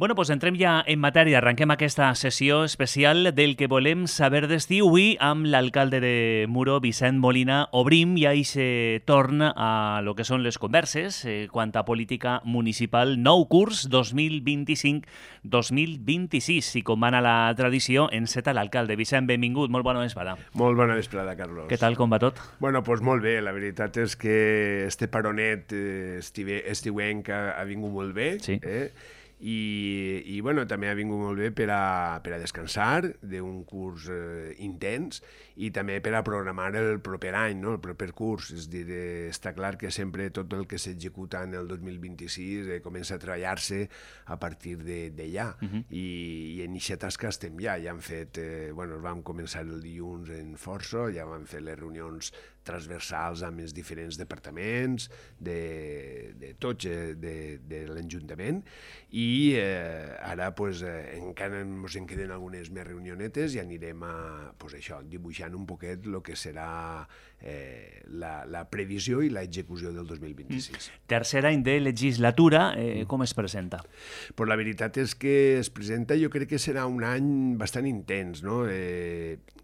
Bueno, doncs entrem ja en matèria. Arrenquem aquesta sessió especial del que volem saber d'estiu. Avui, amb l'alcalde de Muro, Vicent Molina, obrim ja aquest torn a lo que són les converses quant a política municipal, nou curs 2025-2026. I com va anar la tradició, enceta l'alcalde. Vicent, benvingut, molt bona vesprada. Molt bona vesprada, Carlos. Què tal, com va tot? Bueno, doncs molt bé. La veritat és que este paronet estiuenc ha vingut molt bé. Sí. I bueno, també ha vingut molt bé per a descansar d'un curs intens i també per a programar el proper any, no? El proper curs. És a dir, està clar que sempre tot el que s'executa en el 2026 comença a treballar-se a partir d'allà. I en aquesta tasca estem ja. Ja hem fet, vam començar el dilluns en força, ja vam fer les reunions transversals amb els diferents departaments de tots de l'Ajuntament i ara encara ens en queden algunes més reunionetes i anirem a dibuixant un poquet el que serà la previsió i l'execució del 2026. Tercer any de legislatura, com es presenta? Pues la veritat és que es presenta, jo crec que serà un any bastant intens, no?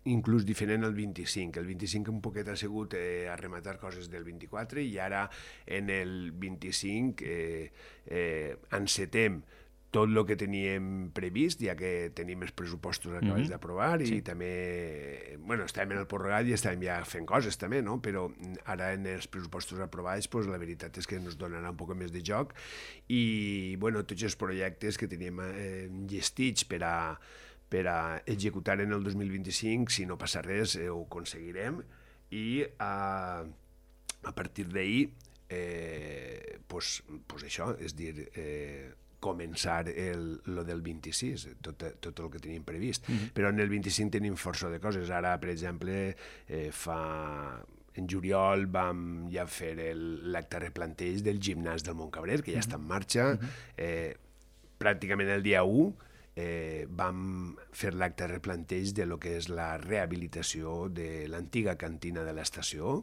Inclús diferent al 25. El 25 un poquet ha sigut a rematar coses del 24 i ara en el 25 encetem tot el que teníem previst, ja que tenim els pressupostos acabats d'aprovar i també, estàvem en el prorrogat i estàvem ja fent coses també, no? Però ara en els pressupostos aprovats la veritat és que ens donarà un poc més de joc i tots els projectes que teníem llestits per a executar en el 2025, si no passa res, ho aconseguirem i a partir d'ahir això, és dir, començar lo del 26, tot el que teníem previst. Però en el 25 tenim força de coses. Ara, per exemple, en juliol vam ja fer l'acte replanteig del gimnàs del Montcabrer, que ja està en marxa. Pràcticament el dia 1 vam fer l'acte replanteig de lo que és la rehabilitació de l'antiga cantina de l'estació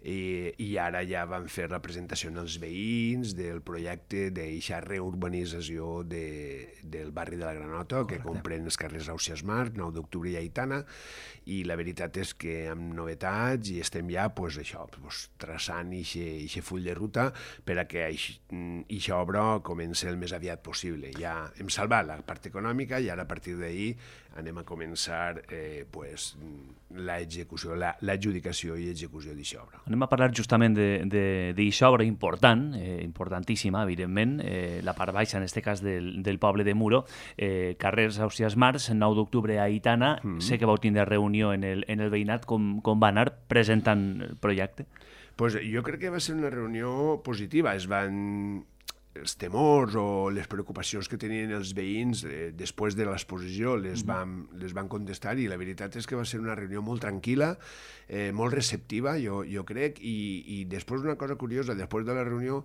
i ara ja vam fer la presentació als veïns del projecte d'eixa reurbanització del barri de la Granota, que comprèn els carrers Ausiàs Marc, 9 d'octubre i Aitana, i la veritat és que amb novetats i estem ja traçant eixe full de ruta per a que eixa obra comenci el més aviat possible. Ja hem salvat la part econòmica i ara a partir d'ahir anem a començar l'execució, l'adjudicació i execució d'eixa obra. Anem a parlar justament d'eixa obra important, importantíssima, evidentment, la part baixa, en aquest cas, del poble de Muro, carrers Ausiàs Marc, 9 d'octubre a Aitana. Sé que vau tindre reunió en el veïnat. Com va anar presentant el projecte? Jo crec que va ser una reunió positiva. Els temors o les preocupacions que tenien els veïns després de l'exposició les van contestar i la veritat és que va ser una reunió molt tranquil·la, molt receptiva, jo crec, i després una cosa curiosa, després de la reunió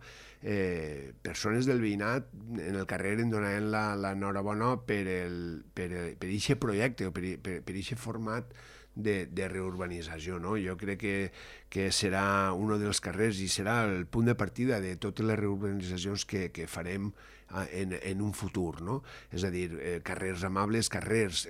persones del veïnat en el carrer em donaven l'enhorabona per aquest projecte o per aquest format de reurbanització, no? Jo crec que serà un dels carrers i serà el punt de partida de totes les reurbanitzacions que farem en un futur, no? És a dir, carrers amables, carrers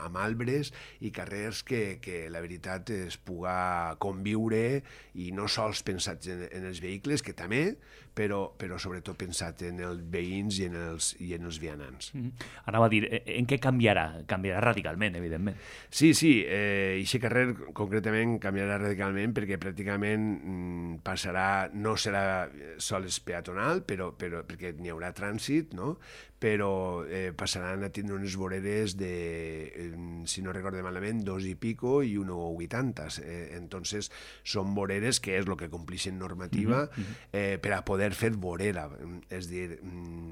amb arbres i carrers que la veritat es puga conviure i no sols pensats en els vehicles, que també, però sobretot pensat en els veïns i en els vianants. Anava a dir, en què canviarà? Canviarà radicalment, evidentment. Sí, aquest carrer concretament canviarà radicalment perquè pràcticament passarà, no serà sols peatonal, perquè n'hi haurà trànsit, no? Però passaran a tindre unes voreres de, si no recordo malament, 2 i pico i 1,80. Entonces, són voreres que és el que complixen normativa per a poder fer vorera. És dir,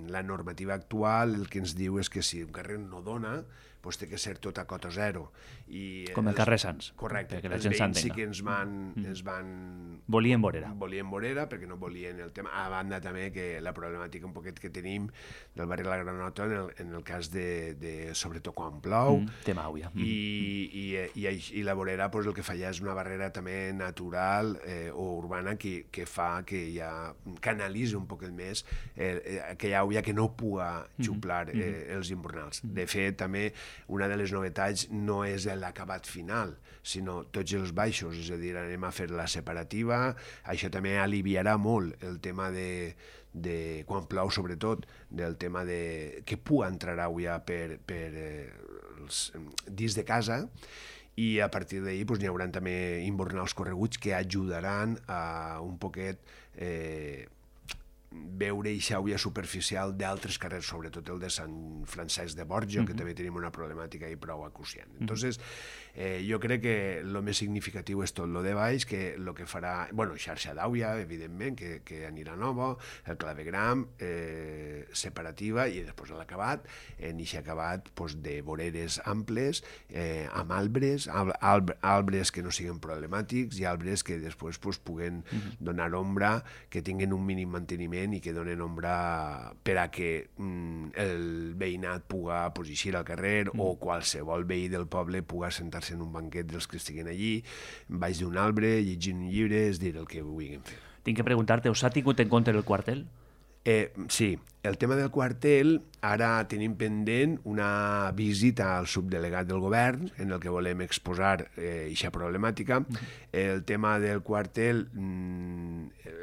la normativa actual el que ens diu és que si un carrer no dona, doncs té que ser tot a cota zero. Com el carrer Sants. Correcte. Perquè la Els gent veïns sí s'entenga. que ens van... Volien vorera. Volien vorera perquè no volien el tema. A banda també que la problemàtica un poquet que tenim tenim del barri de la Granota en el cas de sobretot quan plou. Tema àuia. I la vorera pues, el que fa ja és una barrera també natural o urbana que fa que ja canalitzi un poc més aquella àuia que no puga xuplar els invernals. De fet, també una de les novetats no és l'acabat final, sinó tots els baixos, és a dir, anem a fer la separativa. Això també aliviarà molt el tema de quan plou, sobretot, del tema de que puga entrar àuia dins de casa, i a partir d'ahir n'hi haurà també invernals correguts que ajudaran a un poquet veure aquesta àuia superficial d'altres carrers, sobretot el de Sant Francesc de Borja, que també tenim una problemàtica ahí prou acuciant. Entonces, jo crec que el més significatiu és tot lo de baix, que el que farà, bueno, xarxa d'àuia, evidentment, que anirà nova, el clavegram, separativa, i després l'acabat, en aquest acabat de voreres amples, amb arbres que no siguin problemàtics i arbres que després puguen donar ombra, que tinguin un mínim manteniment i que donen ombra per a que el veïnat puga eixir al carrer o qualsevol veí del poble puga sentar-se en un banquet dels que estiguin allí, baix d'un arbre, llegint un llibre, és dir, el que vulguin fer. Tinc que preguntar-te, us ha tingut en compte el quartel? Sí, el tema del quartel, ara tenim pendent una visita al subdelegat del govern en el que volem exposar aquesta problemàtica. El tema del quartel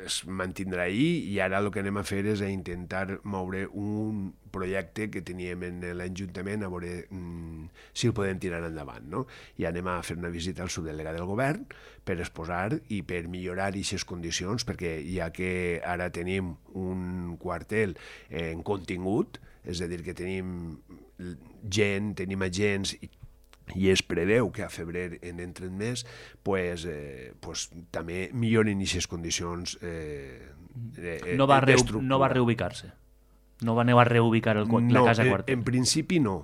es mantindrà ahir i ara el que anem a fer és intentar moure un projecte que teníem en l'Ajuntament a veure si el podem tirar endavant, no? I anem a fer una visita al subdelegat del govern per exposar i per millorar aquestes condicions, perquè ja que ara tenim un quartel en contingut, és a dir, que tenim gent, tenim agents i es preveu que a febrer en entren més, pues també milloren aquestes condicions no va reubicar-se? No aneu a reubicar la casa quartel? En principi no.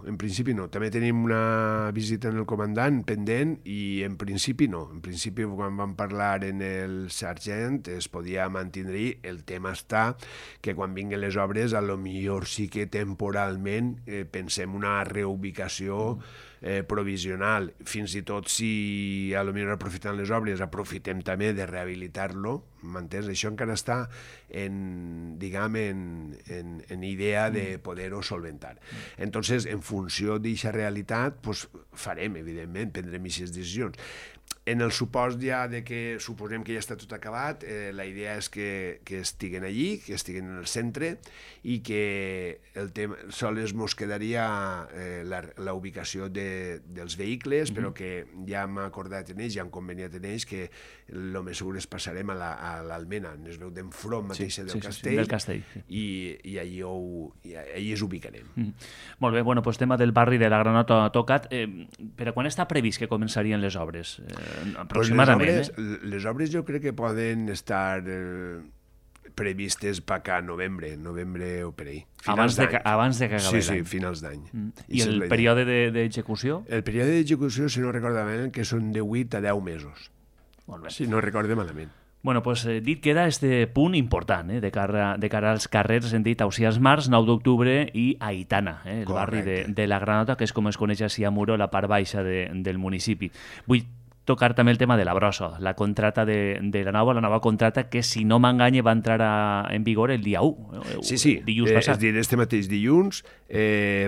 També tenim una visita en el comandant pendent i en principi no. En principi, quan vam parlar en el sergent, es podia mantenir. El tema està que quan vinguin les obres, a lo millor sí que temporalment pensem una reubicació provisional. Fins i tot si a lo millor aprofitant les obres aprofitem també de rehabilitar-lo, m'entens? Això encara està en idea de poder-ho solventar. Entonces, en funció d'aquesta realitat, farem, evidentment, prendrem aquestes decisions. En el supòsit ja de que suposem que ja està tot acabat, la idea és que estiguen allí, que estiguen en el centre i que el tema sols mos quedaria la ubicació dels vehicles, però que ja hem acordat en ells, ja hem conveniat en ells que el més segur és passarem a l'Almena, es veu d'enfront mateixa del Castell, i allí es ubicarem. Molt bé, bueno, tema del barri de la Granota tocat. Per a quan està previst que començarien les obres? Aproximadament. Les obres jo crec que poden estar previstes per acá novembre o per ahí. Abans de que acabi l'any. Sí, finals d'any. I el període d'execució? El període d'execució, si no recordo malament, que són de 8 a 10 mesos. Molt bé. Si no recordo malament. Bueno, dit queda este punt important de cara als carrers, hem dit Ausiàs Març, 9 d'octubre i Aitana, el barri de la Granota, que és com es coneix així a Muro, la part baixa del municipi. Vull tocar també el tema de la brossa, la contrata de la nova contrata que, si no m'enganye, va entrar en vigor el dia 1. Sí, dilluns passat. És dir, este mateix dilluns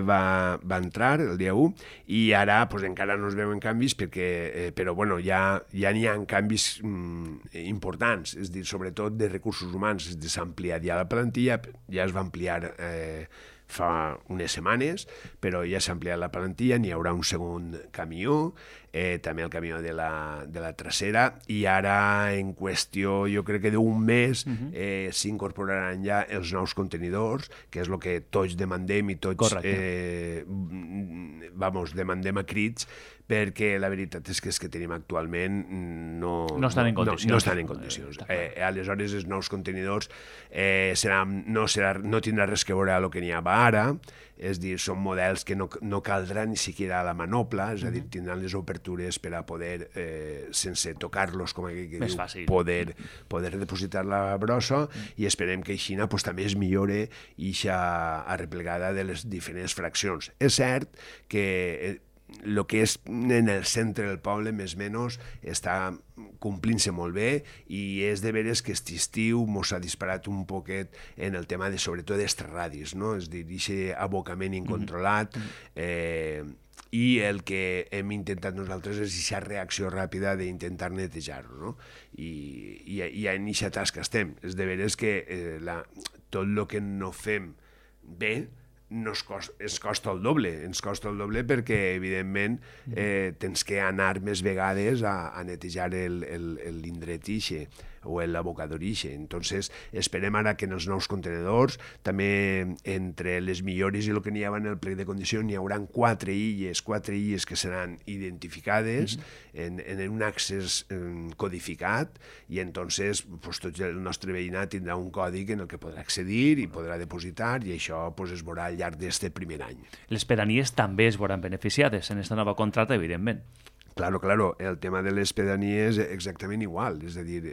va entrar el dia 1 i ara encara no es veuen canvis però bueno, ja n'hi ha canvis importants, és dir, sobretot de recursos humans. S'ha ampliat ja la plantilla, ja es va ampliar fa unes setmanes, però ja s'ha ampliat la plantilla, n'hi haurà un segon camió, també el camió de la trasera, i ara en qüestió, jo crec que d'un mes s'incorporaran ja els nous contenidors, que és el que tots demandem i tots demandem a crits, perquè la veritat és que els que tenim actualment no estan en condicions. No estan en condicions. Aleshores, els nous contenidors no tindrà res que veure amb el que n'hi havia ara, és a dir, són models que no caldrà ni siquiera la manopla, és a dir, tindran les obertures per a poder, sense tocar-los, com aquell que diu, poder depositar la brossa, i esperem que així pues, també es millore ixa arreplegada de les diferents fraccions. És cert que el que és en el centre del poble, més o menys, està complint-se molt bé, i és de veres que aquest estiu mos ha disparat un poquet en el tema sobretot d'extraradis, no? És a dir, aquest abocament incontrolat, i el que hem intentat nosaltres és aquesta reacció ràpida d'intentar netejar-ho, no? I en aquesta tasca estem. És de veres que tot el que no fem bé ens costa el doble perquè, evidentment, tens que anar més vegades a netejar l'indret ixe o l'abocador ixe. Entonces, esperem ara que en els nous contenedors, també entre les millores i el que n'hi havia en el plec de condicions, n'hi haurà 4 illes que seran identificades en un accés codificat, i entonces tot el nostre veïnat tindrà un còdic en el que podrà accedir i podrà depositar, i això es veurà al llarg d'aquest primer any. Les pedanies també es veuran beneficiades en aquesta nova contracta, evidentment. Claro, el tema de les pedanies és exactament igual, és a dir,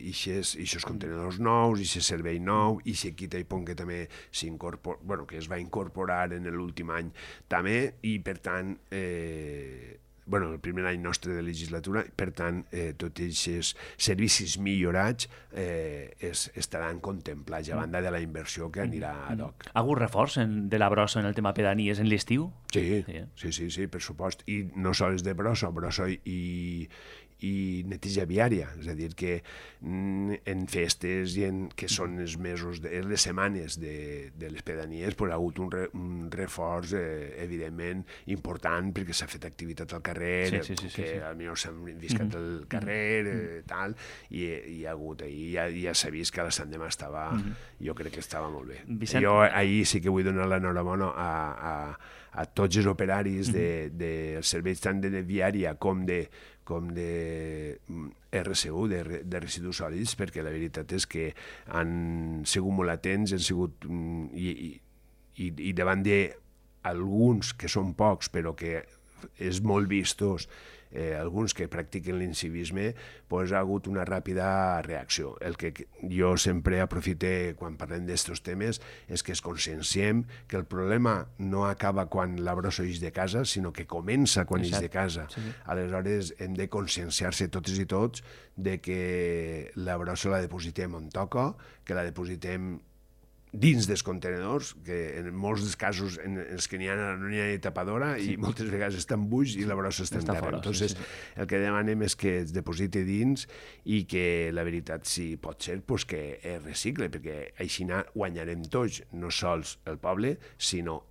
ixos contenidors nous, ixos servei nou, ixe quita i pon que també que es va incorporar en l'últim any també, i per tant, el primer any nostre de legislatura, per tant, tots aquests servicis millorats estaran contemplats a banda de la inversió que anirà ad hoc. Ha hagut reforç de la brossa en el tema pedanies en l'estiu? Sí, per supost. I no sols de brossa i neteja viària, és a dir, que en festes i que són els mesos, les setmanes de les pedanies, ha hagut un reforç, evidentment, important, perquè s'ha fet activitat al carrer, que potser s'han viscat al carrer, tal, i hi ha hagut, ja s'ha vist que la Sant Demà jo crec que estava molt bé. Jo ahir sí que vull donar l'enhorabona a tots els operaris dels serveis tant de viària com de RSU, de residus sòlids, perquè la veritat és que han sigut molt atents, han sigut i davant d'alguns que són pocs però que és molt vistos, alguns que practiquen l'incivisme, ha hagut una ràpida reacció. El que jo sempre aprofite quan parlem d'estos temes és que es conscienciem que el problema no acaba quan la brossa ix de casa, sinó que comença quan ix de casa. Aleshores hem de conscienciar-se totes i tots de que la brossa la depositem on toca, que la depositem dins dels contenedors, que en molts dels casos en els que n'hi ha no n'hi ha ni tapadora, i moltes vegades estan buits i la brossa està en terra. Entonces, el que demanem és que es depositi dins i que la veritat, si pot ser, que es recicle, perquè així guanyarem tots, no sols el poble, sinó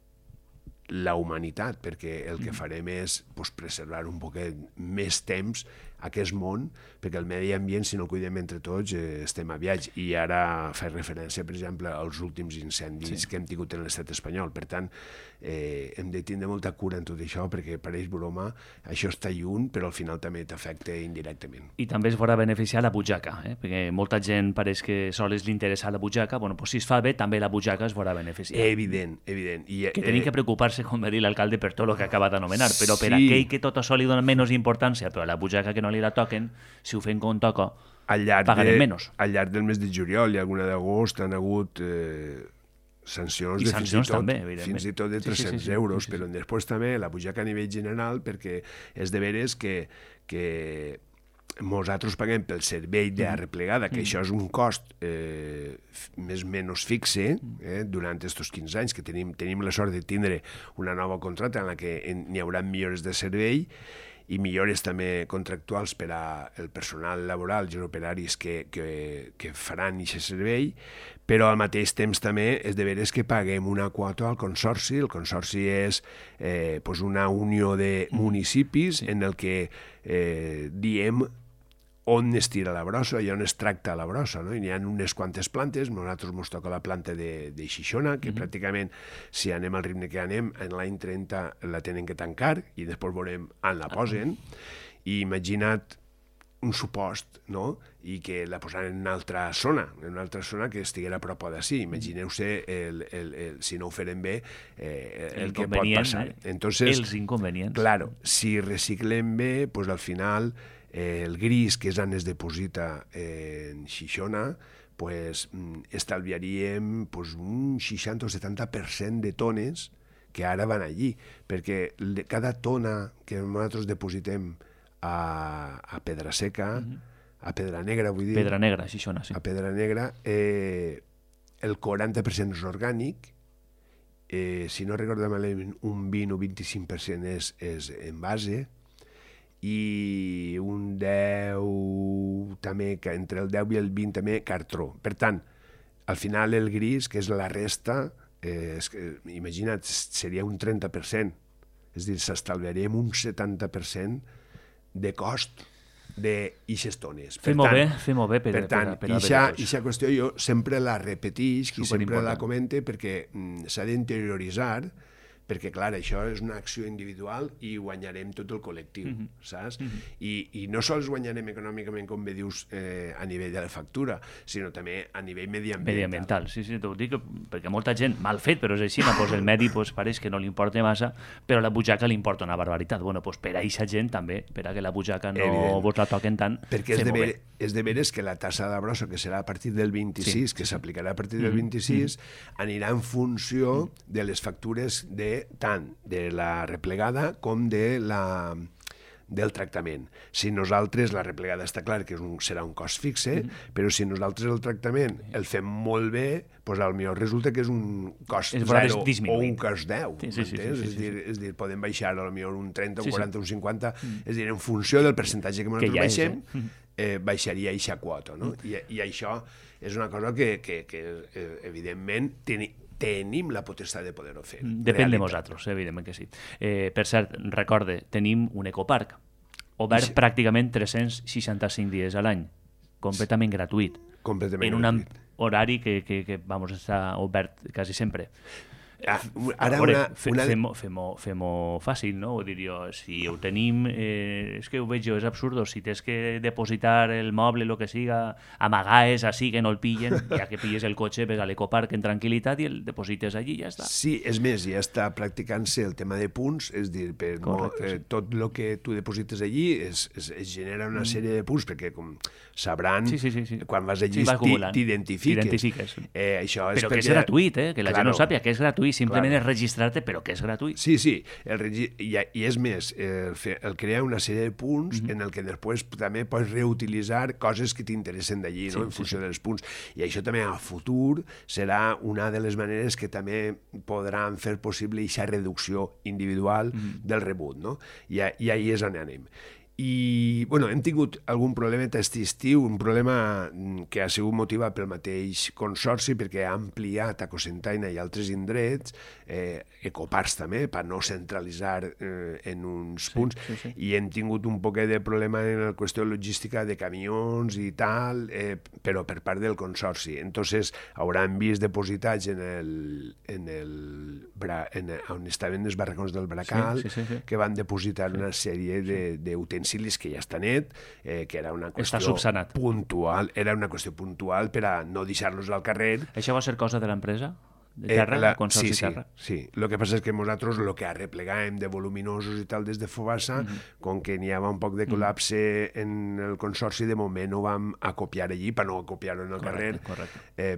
la humanitat, perquè el que farem és preservar un poquet més temps aquest món, perquè el medi ambient, si no el cuidem entre tots, estem aviats. I ara faig referència, per exemple, als últims incendis que hem tingut en l'estat espanyol. Per tant, hem de tindre molta cura en tot això, perquè pareix broma, això està lluny, però al final també t'afecta indirectament. I també es veurà beneficiar la butxaca, perquè molta gent pareix que sols li interessa la butxaca. Si es fa bé, també la butxaca es veurà beneficiar. Evident. Que tenim que preocupar-se, com va dir l'alcalde, per tot el que acaba d'anomenar, però per aquell que tot això li dona menys importància, però a la butxaca que no li la toquen, si ho fem com toca, pagarem menys. Al llarg del mes de juliol i alguna d'agost han hagut sancions de fins i tot de 300 euros, però després també la butxaca a nivell general, perquè és de veres que nosaltres paguem pel servei d'arreplegada, que això és un cost més o menys fixe durant aquests 15 anys, que tenim la sort de tindre una nova contracta en la que n'hi haurà millores de servei i millores també contractuals per al personal laboral i els operaris que faran aquest servei, però al mateix temps també és de veres que paguem una quota al consorci. El consorci és una unió de municipis en el que diem on es tira la brossa i on es tracta la brossa, no? I n'hi ha unes quantes plantes, nosaltres ens toca la planta de Xixona, que pràcticament, si anem al ritme que anem, en l'any 30 la tenen que tancar i després veurem on la posen, i imagina't un supost, no? I que la posaran en una altra zona que estiguera a prop d'ací. Imagineu-se, si no ho farem bé, el que pot passar. Entonces, els inconvenients. Claro, si reciclem bé, pues al final el gris que és on es deposita en Xixona, pues estalviaríem pues, un 60 o 70% de tones que ara van allí, perquè cada tona que nosaltres depositem a Pedra Seca, a Pedra Negra, vull dir... Pedra Negra, Xixona, sí. A Pedra Negra, el 40% és orgànic, si no recordo malament, un 20 o 25% és en base, i un 10 també, entre el 10 i el 20 també, cartró. Per tant, al final el gris, que és la resta, imagina't, seria un 30%, és a dir, s'estalviaríem un 70% de cost d'ixes tones. Fem-ho bé per tant, ixa qüestió jo sempre la repetix i sempre la comente perquè s'ha d'interioritzar, perquè, clar, això és una acció individual i guanyarem tot el col·lectiu, saps? I no sols guanyarem econòmicament, com bé dius, a nivell de la factura, sinó també a nivell mediambiental. Sí, t'ho dic, perquè molta gent, mal fet, però és així, pues el medi pareix que no li importa massa, però a la butxaca li importa una barbaritat. Bueno, pues per a aquesta gent també, per a que la butxaca no vos la toquen tant, perquè és de veres que la tassa de brossa, que serà a partir del 26, que s'aplicarà a partir del 26, anirà en funció de les factures tant de la replegada com del tractament. Si nosaltres, la replegada està clar que serà un cost fixe, però si nosaltres el tractament el fem molt bé, doncs potser resulta que és un cost 0 o un cost 10. És dir, podem baixar potser un 30, un 40, un 50, és dir, en funció del percentatge que nosaltres baixem, baixaria eixa quota. I això és una cosa que evidentment, tenim la potestat de poder-ho fer. Depèn de nosaltres, evidentment que sí. Per cert, recorde, tenim un ecoparc obert pràcticament 365 dies a l'any, completament gratuït. En un horari que està obert quasi sempre. Fem-ho fàcil, no? Ho diria, si ho tenim, és que ho veig jo, és absurd, si tens que depositar el moble, el que siga, amagaes així que no el pillen, ja que pilles el cotxe, ves a l'ecoparc en tranquil·litat i el deposites allí i ja està. Sí, és més, ja està practicant-se el tema de punts, és dir, tot el que tu deposites allí es genera una sèrie de punts, perquè com sabran, quan vas allí t'identifiques. Però que és gratuït, que la gent no sàpiga que és gratuït, simplement és registrar-te, però que és gratuït. Sí, i és més, el crear una sèrie de punts en el que després també pots reutilitzar coses que t'interessen d'allí, en funció dels punts. I això també a futur serà una de les maneres que també podran fer possible aquesta reducció individual del rebut, no? I ahí és on anem. I, bueno, hem tingut algun problema aquest estiu, un problema que ha sigut motivat pel mateix consorci, perquè ha ampliat a Cocentaina i altres indrets, ecoparcs també, per no centralitzar en uns punts, i hem tingut un poquet de problema en la qüestió logística de camions i tal, però per part del consorci. Entonces, hauran vist depositats on estaven els barracons del Bracal, que van depositar una sèrie d'utensilis que ja està net, que era una qüestió puntual, per a no deixar-los al carrer. Això va ser cosa de l'empresa? De terra, consorci terra? Sí. El que passa és que nosaltres el que arreplegàvem de voluminosos i tal des de Fobassa, com que n'hi havia un poc de col·lapse en el consorci, de moment ho vam acopiar allí, per no acopiar-ho en el carrer,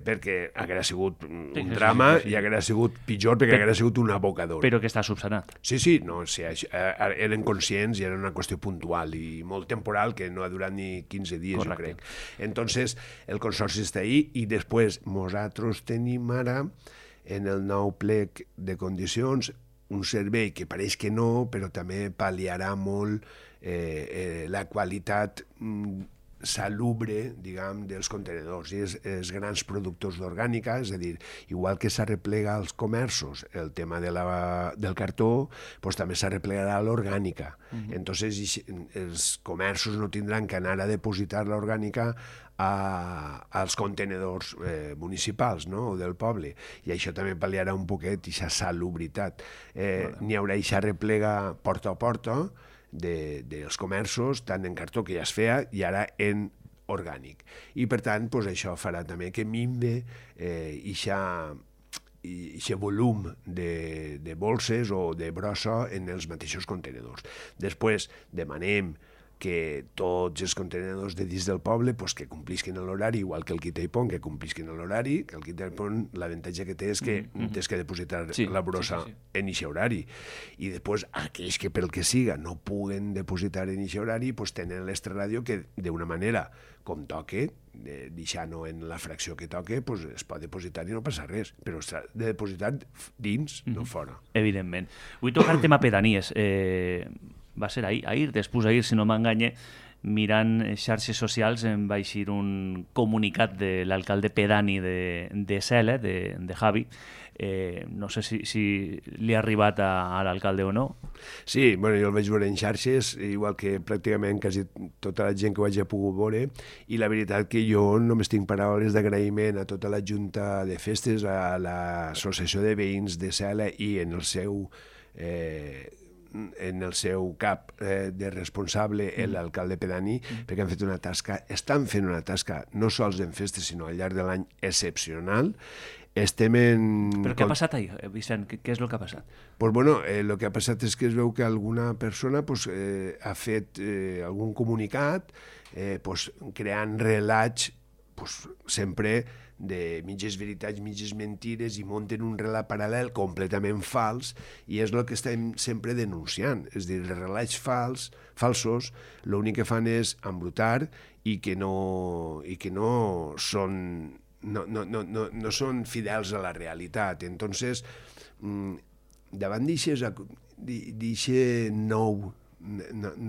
perquè hauria sigut un drama i hauria sigut pitjor, perquè hauria sigut un abocador. Però que està subsanat. Sí, eren conscients i era una qüestió puntual i molt temporal, que no ha durat ni 15 dies, jo crec. Entonces, el consorci està ahí i després nosaltres tenim ara en el nou plec de condicions un servei que pareix que no, però també pal·liarà molt la qualitat salubre, diguem, dels contenedors. I els grans productors d'orgànica, és a dir, igual que s'arreplega als comerços el tema del cartó, doncs també s'arreplegarà l'orgànica. Entonces, els comerços no tindran que anar a depositar l'orgànica als contenedors municipals, no?, o del poble. I això també pal·liarà un poquet aquesta salubritat. N'hi haurà aquesta replega porta a porta dels comerços, tant en cartó, que ja es feia, i ara en orgànic. I, per tant, això farà també que minve aquest volum de bolses o de brossa en els mateixos contenedors. Després demanem que tots els contenedors de dins del poble que complisquen l'horari, igual que el Quita i Pont, que complisquen l'horari, que el Quita i Pont l'avantatge que té és que tens que depositar la brossa en aquest horari. I després aquells que pel que siga no puguen depositar en aquest horari tenen l'extraràdio que d'una manera com toque, deixant-ho en la fracció que toque, es pot depositar i no passa res, però s'ha de depositar dins, no fora. Evidentment. Vull tocar el tema pedanies. Va ser ahir, després d'ahir, si no m'enganye, mirant xarxes socials em va eixir un comunicat de l'alcalde pedani de Celle, de Javi. No sé si li ha arribat a l'alcalde o no. Sí, jo el vaig veure en xarxes, igual que pràcticament quasi tota la gent que ho hagi pogut veure, i la veritat que jo només tinc paraules d'agraïment a tota la Junta de Festes, a l'Associació de Veïns de Celle i en el seu cap de responsable, l'alcalde pedani, perquè han fet una tasca, estan fent una tasca no sols en festes, sinó al llarg de l'any excepcional. Estem en... Però què ha passat ahir, Vicent? Què és el que ha passat? El que ha passat és que es veu que alguna persona ha fet algun comunicat creant relats sempre de mitges veritats, mitges mentires, i munten un relat paral·lel completament fals, i és el que estem sempre denunciant. És a dir, els relats falsos l'únic que fan és embrutar i que no són fidels a la realitat. Entonces, davant d'aquest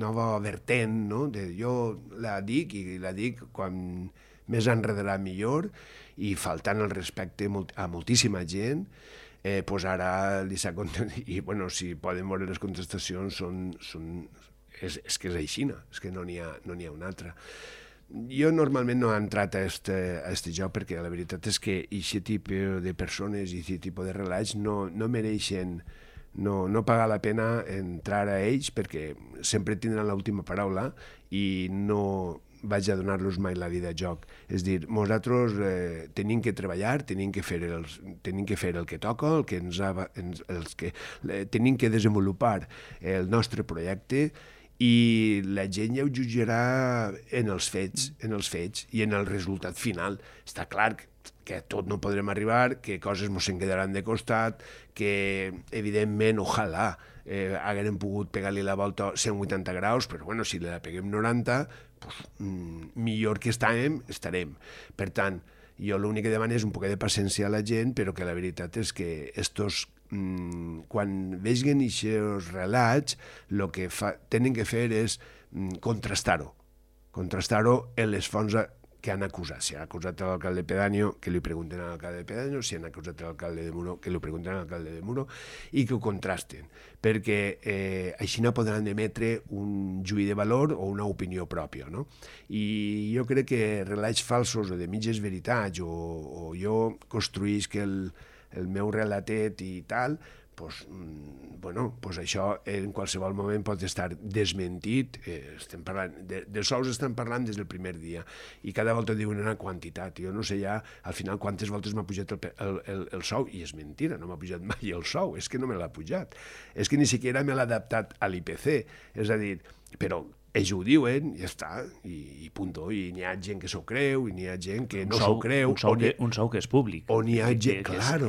nova vertent, no? Jo la dic, i la dic quan més enredarà millor, i faltant el respecte a moltíssima gent, ara li s'ha contestat, i si poden veure les contestacions és que és així, és que no n'hi ha una altra. Jo normalment no he entrat a este joc perquè la veritat és que aquest tipus de persones i aquest tipus de relats no mereixen, no paga la pena entrar a ells, perquè sempre tindran l'última paraula i no vaig a donar-los mai la vida a joc. És a dir, nosaltres tenim que treballar, tenim que fer el que toca, tenim que desenvolupar el nostre projecte, i la gent ja ho jutjarà en els fets i en el resultat final. Està clar que a tot no podrem arribar, que coses ens en quedaran de costat, que evidentment, ojalà, haguem pogut pegar-li la volta 180 graus, però si la peguem 90, millor que estarem. Per tant, jo l'únic que demano és un poc de paciència a la gent, però que la veritat és que quan vegin aquests relats, el que tenen que fer és contrastar-ho en les fonts que han acusat. Si han acusat l'alcalde pedáneo, que li pregunten a l'alcalde pedáneo, si han acusat l'alcalde de Muro, que li pregunten a l'alcalde de Muro, i que ho contrasten, perquè així no podran emetre un juí de valor o una opinió pròpia, no? I jo crec que relats falsos o de mitges veritats, o jo construïsc el meu relatet i tal, això en qualsevol moment pot estar desmentit. Estem parlant dels sous, estem parlant des del primer dia, i cada volta diuen una quantitat. Jo no sé ja al final quantes voltes m'ha pujat el sou, i és mentira, no m'ha pujat mai el sou, és que no me l'ha pujat, és que ni siquiera me l'ha adaptat a l'IPC, és a dir, però ells ho diuen, i ja està, i punto. I n'hi ha gent que s'ho creu, i n'hi ha gent que no s'ho creu. Un sou que és públic. O n'hi ha gent, que està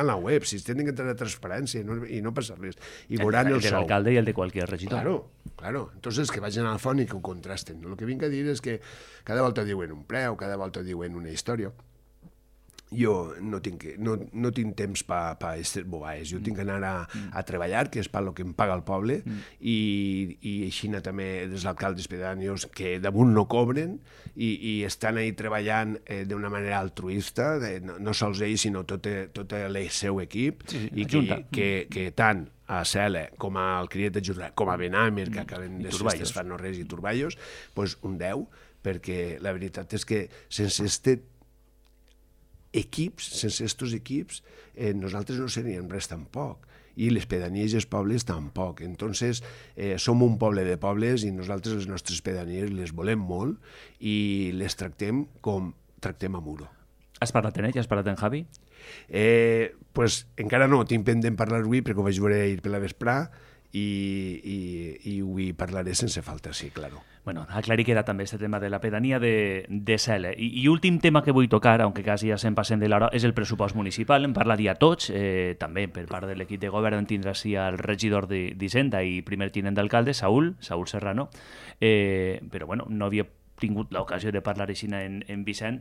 en la web. Si tenen que entrar a transparència i no passa res. I veuran el sou. El de l'alcalde i el de qualsevol regidor. Claro. Entonces que vagin al font i que ho contrasten. El que vinc a dir és que cada volta diuen un preu, cada volta diuen una història. jo no tinc temps per aquestes bobades, jo tinc que anar a treballar, que és per lo que em paga el poble, i així també els alcaldes pedànios que damunt no cobren i estan ahí treballant d'una manera altruista, no sols ells, sinó tot el seu equip, i que tant a Cela, com al Criet de Jordà, com a Benàmer, que acaben de festes fan no res, i Turballos, doncs un 10, perquè la veritat és que sense sense estos equips, nosaltres no seríem res tampoc, i les pedanies i els pobles tampoc. Entonces, som un poble de pobles i nosaltres les nostres pedanies les volem molt i les tractem com tractem a Muro. Has parlat en ell? Has parlat en Javi? Pues encara no, tinc pendent parlar avui perquè ho vaig veure ahir per la vesprà i avui parlaré sense falta, sí, claro. Bueno, aclarir queda també este tema de la pedania de Cela. I últim tema que vull tocar, aunque quasi ja se'n passem de l'hora, és el pressupost municipal. En parlaria tots, també per part de l'equip de govern tindrà sí el regidor d'Hisenda i primer tinent d'alcalde, Saúl Serrano, però bueno, no havia tingut l'ocasió de parlar així en Vicent.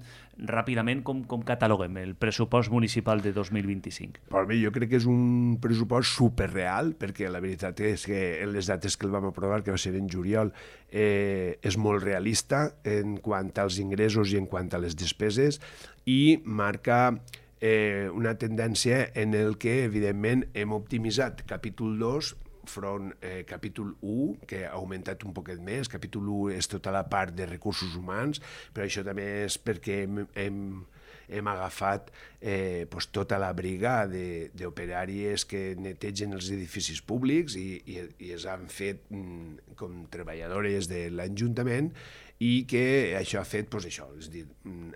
Ràpidament, com cataloguem el pressupost municipal de 2025? Per mi, jo crec que és un pressupost superreal, perquè la veritat és que en les dates que el vam aprovar, que va ser en juliol, és molt realista en quant als ingressos i en quant a les despeses, i marca una tendència en el que, evidentment, hem optimitzat capítol 2 front capítol 1, que ha augmentat un poquet més. Capítol 1 és tota la part de recursos humans, però això també és perquè hem agafat tota la briga d'operàries que netegen els edificis públics i es han fet com treballadores de l'Ajuntament, i que això ha fet, això, és a dir,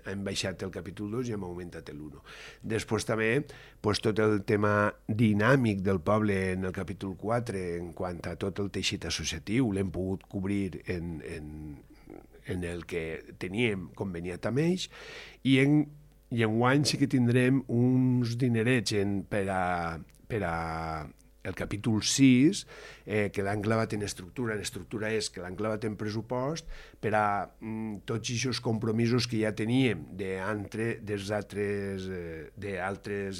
hem baixat el capítol 2 i hem augmentat l'1. Després també tot el tema dinàmic del poble en el capítol 4, en quant a tot el teixit associatiu, l'hem pogut cobrir en el que teníem conveniat amb ells, i enguany sí que tindrem uns dinerets per a el capítol 6, que l'han clavat en estructura. L'estructura és que l'han clavat en pressupost per a tots aquests compromisos que ja teníem d'altres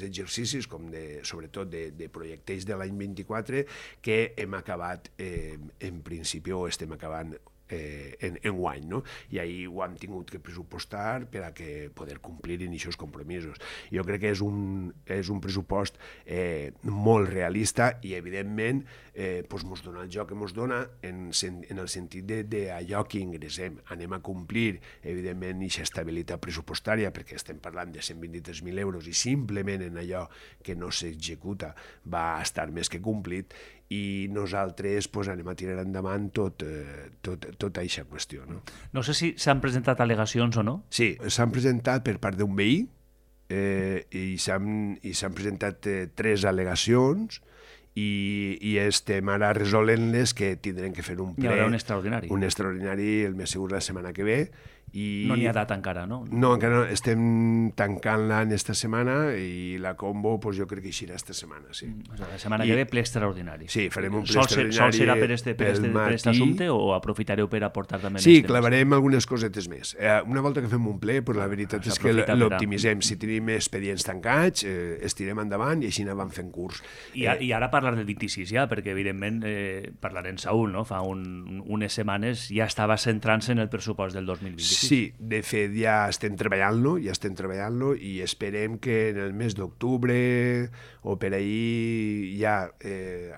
exercicis, com sobretot de projectes de l'any 24, que hem acabat, en principi, o estem acabant enguany, no? I ahir ho hem tingut que pressupostar per a que poder complir en aquests compromisos. Jo crec que és un pressupost molt realista i, evidentment, ens dona el joc que ens dona en el sentit d'allò que ingressem. Anem a complir, evidentment, aquesta estabilitat pressupostària, perquè estem parlant de 123.000 euros i simplement en allò que no s'executa va estar més que complit, i nosaltres anem a tirar endavant tota aquesta qüestió. No sé si s'han presentat al·legacions o no. Sí, s'han presentat per part d'un veí i s'han presentat 3 al·legacions i estem ara resolent-les, que tindrem que fer un ple. Hi haurà un extraordinari. Un extraordinari, el més segur, la setmana que ve. No n'hi ha data encara, no? No, encara no. Estem tancant-la en esta setmana i la combo jo crec que eixirà esta setmana, sí. La setmana que ve, ple extraordinari. Sí, farem un ple extraordinari. Sol serà per aquest assumpte o aprofitareu per aportar també Sí, clavarem algunes cosetes més. Una volta que fem un ple, la veritat és que l'optimitzem. Si tenim expedients tancats, estirem endavant i així anàvem fent curs. I ara parlar del 26 ja, perquè evidentment parlarem Saúl, no? Fa unes setmanes ja estava centrant-se en el pressupost del 2026. Sí, de fet ja estem treballant-lo i esperem que en el mes d'octubre o per ahir ja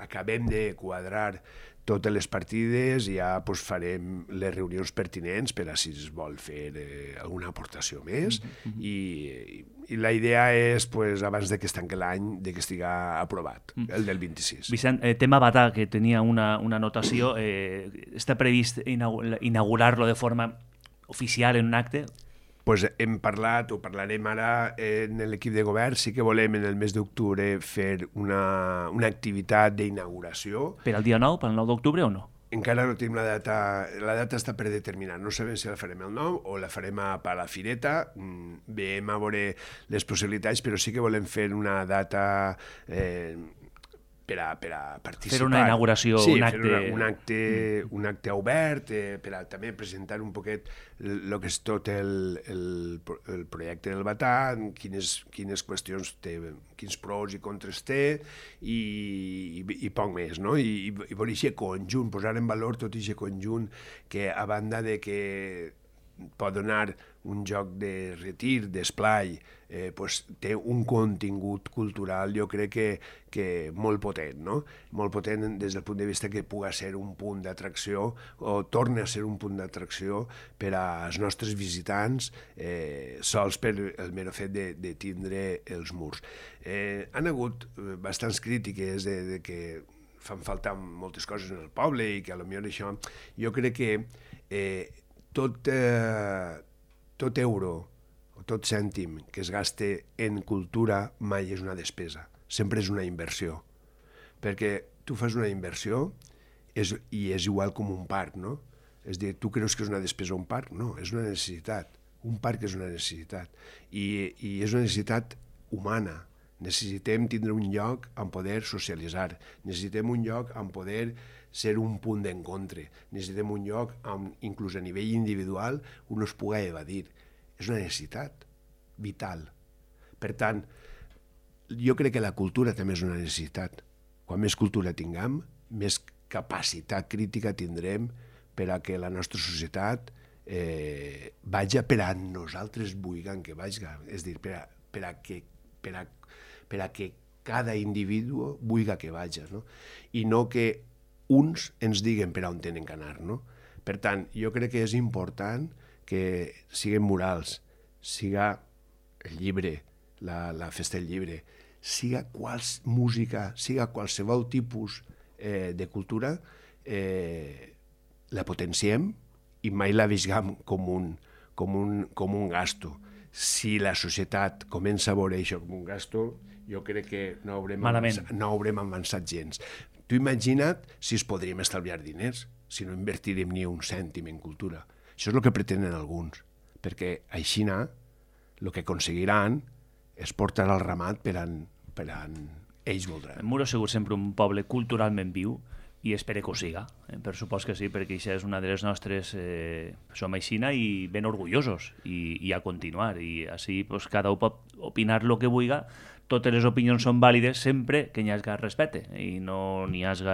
acabem de quadrar totes les partides i ja farem les reunions pertinents per a si es vol fer alguna aportació més i la idea és, abans de que es tanqui l'any, de que estigui aprovat, el del 26. Vicent, tema Batà, que tenia una anotació, està previst inaugurar-lo de forma oficial en un acte? Hem parlat, o parlarem ara en l'equip de govern, sí que volem en el mes d'octubre fer una activitat d'inauguració. Per al dia 9, pel 9 d'octubre o no? Encara no tenim la data està per determinar, no sabem si la farem el 9 o la farem a la Fireta, veiem a veure les possibilitats, però sí que volem fer una data per a participar. Fer una inauguració, sí, un acte... un acte obert, per a també presentar un poquet el que és tot el projecte del Batà, quines qüestions té, quins pros i contres té, i poc més, no? I per aquest conjunt, posar en valor tot aquest conjunt que, a banda de que pot donar un joc de retir, d'esplai, pues, té un contingut cultural, jo crec que molt potent, no? Molt potent des del punt de vista que pugui ser un punt d'atracció o torni a ser un punt d'atracció per als nostres visitants, sols per el mero fet de tindre els murs. Han hagut bastants crítiques de que fan falta moltes coses en el poble i que potser això... Jo crec que tot euro o tot cèntim que es gaste en cultura mai és una despesa, sempre és una inversió. Perquè tu fas una inversió i és igual com un parc, no? És a dir, tu creus que és una despesa un parc? No, és una necessitat. Un parc és una necessitat. I és una necessitat humana. Necessitem tindre un lloc on poder socialitzar. Necessitem un lloc on poder ser un punt d'encontre. Necessitem un lloc on, inclús a nivell individual, un es pugui evadir. És una necessitat vital. Per tant, jo crec que la cultura també és una necessitat. Quan més cultura tinguem, més capacitat crítica tindrem per a que la nostra societat vaja per a nosaltres vulguem que vaja. És a dir, per a que cada individu vulgui que vaja, no? I no que uns ens diguen per on tenen que anar, no? Per tant, jo crec que és important que siguin murals, siga el llibre, la festa del llibre, siga música, siga qualsevol tipus de cultura, la potenciem i mai la vegem com un gasto. Si la societat comença a veure això com un gasto, jo crec que no haurem avançat gens. Tu imagina't si es podríem estalviar diners, si no invertirem ni un cèntim en cultura. Això és el que pretenen alguns, perquè així el que aconseguiran és portar el ramat per on ells voldran. Muro ha sigut sempre un poble culturalment viu i espero que ho siga. Per supost que sí, perquè això és una de les nostres... som aixina i ben orgullosos i a continuar. I així pues, cada un pot opinar el que vulgui. Totes les opinions són vàlides sempre que hi hagi respecte i no n'hi hagi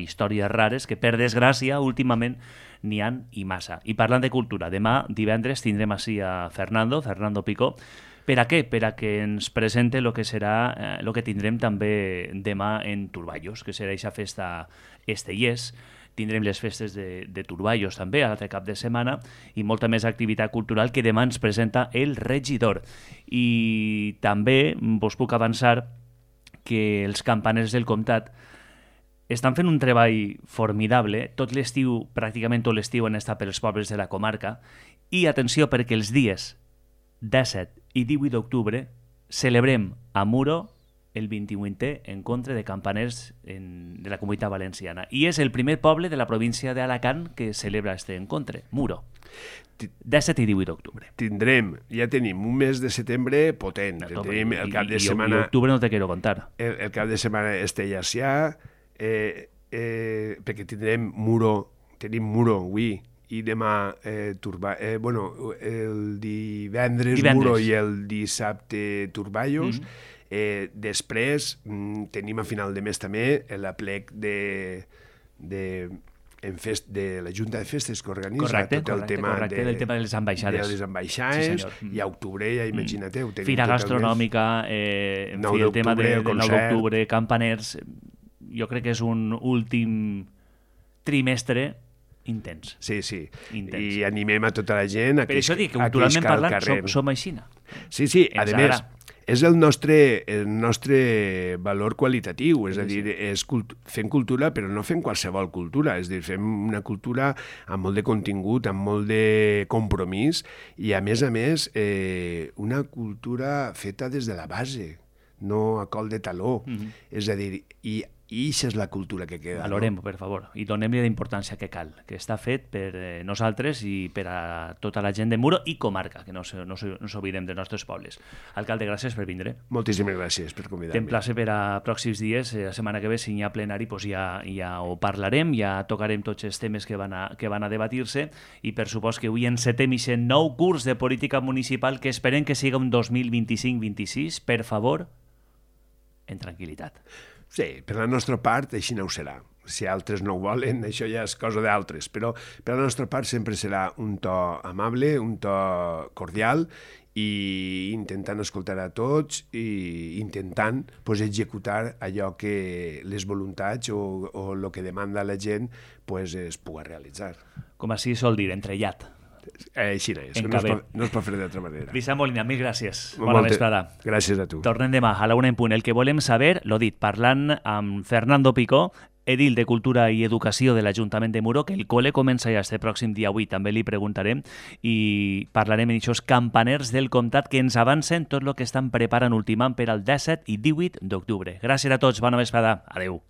històries rares que, per desgràcia, últimament n'hi han i massa. I parlant de cultura, demà, divendres, tindrem així a Fernando Picó. Per a què? Per a que ens presente el que serà el que tindrem també demà en Turballos, que serà aquesta festa Estellers. Tindrem les festes de Turballos també, a l'altre cap de setmana, i molta més activitat cultural que demà ens presenta el regidor. I també vos puc avançar que els campaners del comtat estan fent un treball formidable. Tot l'estiu, pràcticament tot l'estiu, han estat pels pobles de la comarca. I atenció, perquè els dies 17 i 18 d'octubre celebrem a Muro el 28è encontre de campaners de la Comunitat Valenciana. I és el primer poble de la província d'Alacant que celebra aquest encontre, Muro. 17 i 18 d'octubre. Ja tenim un mes de setembre potent. Tenim el cap de setmana... I octubre no te quiero contar. El cap de setmana Estellers, perquè tenim Muro avui, i demà el divendres Muro i el dissabte Turballos. Després tenim a final de mes també l'aplec de la Junta de Festes que organitza tot el tema del tema de les ambaixades. I a octubre, ja imagina't-ho. Fira gastronòmica, el tema del 9 d'octubre, campaners... Jo crec que és un últim trimestre intens. Sí. I animem a tota la gent a que per això dic que culturalment parlant som aixina. Sí, a més, és el nostre valor qualitatiu, és a dir, fem cultura però no fem qualsevol cultura, és a dir, fem una cultura amb molt de contingut, amb molt de compromís i a més una cultura feta des de la base, no a col de taló. És a dir, i I això és la cultura que queda. Valorem-ho, per favor, i donem-li la importància que cal, que està fet per nosaltres i per a tota la gent de Muro i comarca, que no s'oblidem dels nostres pobles. Alcalde, gràcies per vindre. Moltíssimes gràcies per convidar-me. T'emplace per a pròxims dies, la setmana que ve, si hi ha plenari, doncs ja ho parlarem, ja tocarem tots els temes que van a debatir-se i per supost que avui encetem aquest nou curs de política municipal que esperem que siga un 2025-26, per favor, en tranquil·litat. Sí, per la nostra part així no ho serà. Si altres no ho volen, això ja és cosa d'altres, però per la nostra part sempre serà un to amable, un to cordial i intentant escoltar a tots i intentant executar allò que les voluntats o el que demanda la gent es pugui realitzar. Com així sol dir, entrellat. Així és, no es pot fer d'altra manera. Vicent Molina, mil gràcies. Bona vesprada. Gràcies a tu. Tornem demà a la 1 en punt. El que volem saber, l'ho dit, parlant amb Fernando Picó, edil de Cultura i Educació de l'Ajuntament de Muro, que el col·le comença ja este pròxim dia 8, també li preguntarem, i parlarem en aquests campaners del comtat que ens avancen tot el que estan preparant ultimant per al 17 i 18 d'octubre. Gràcies a tots, bona vesprada. Adéu.